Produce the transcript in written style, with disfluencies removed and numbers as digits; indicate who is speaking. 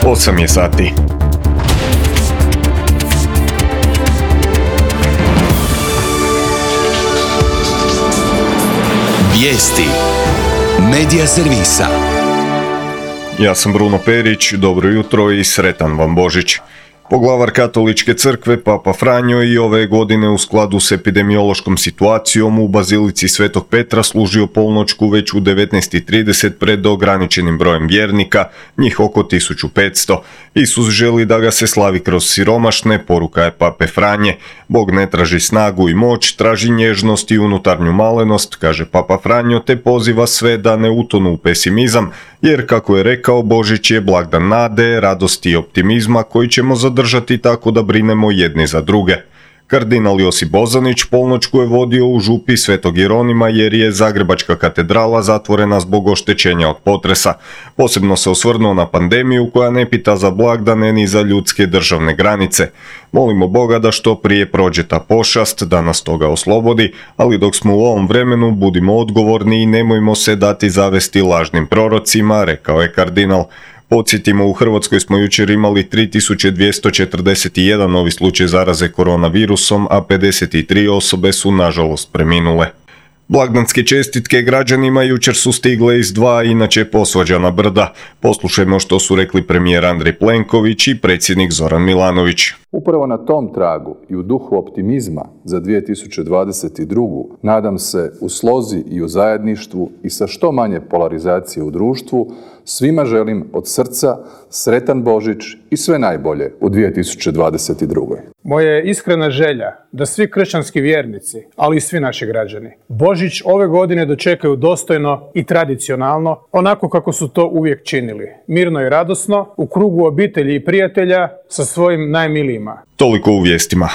Speaker 1: 8 je sati.
Speaker 2: Vijesti Medija servisa.
Speaker 1: Ja sam Bruno Perić, dobro jutro i sretan vam Božić. Poglavar Katoličke crkve, Papa Franjo, i ove godine u skladu s epidemiološkom situacijom u Bazilici Svetog Petra služio polnoćku već u 19:30 pred ograničenim brojem vjernika, njih oko 1500. Isus želi da ga se slavi kroz siromašne, poruka je Pape Franje. Bog ne traži snagu i moć, traži nježnost i unutarnju malenost, kaže Papa Franjo, te poziva sve da ne utonu u pesimizam, jer kako je rekao, Božić je blagdan nade, radosti i optimizma koji ćemo zadržati tako da brinemo jedni za druge. Kardinal Josip Bozanić polnoćku je vodio u župi Svetog Jeronima jer je Zagrebačka katedrala zatvorena zbog oštećenja od potresa. Posebno se osvrnuo na pandemiju koja ne pita za blagdane ni za ljudske državne granice. Molimo Boga da što prije prođe ta pošast, da nas toga oslobodi, ali dok smo u ovom vremenu budimo odgovorni i nemojmo se dati zavesti lažnim prorocima, rekao je kardinal. Podsjetimo, u Hrvatskoj smo jučer imali 3241 novi slučaj zaraze koronavirusom, a 53 osobe su nažalost preminule. Blagdanske čestitke građanima jučer su stigle iz dva inače posvađana brda. Poslušajmo što su rekli premijer Andrej Plenković i predsjednik Zoran Milanović.
Speaker 3: Upravo na tom tragu i u duhu optimizma za 2022. nadam se u slozi i u zajedništvu i sa što manje polarizacije u društvu, svima želim od srca sretan Božić i sve najbolje u 2022.
Speaker 4: Moja je iskrena želja da svi kršćanski vjernici, ali i svi naši građani, Božić ove godine dočekaju dostojno i tradicionalno, onako kako su to uvijek činili, mirno i radosno, u krugu obitelji i prijatelja sa svojim najmilijima.
Speaker 1: Toliko u vijestima.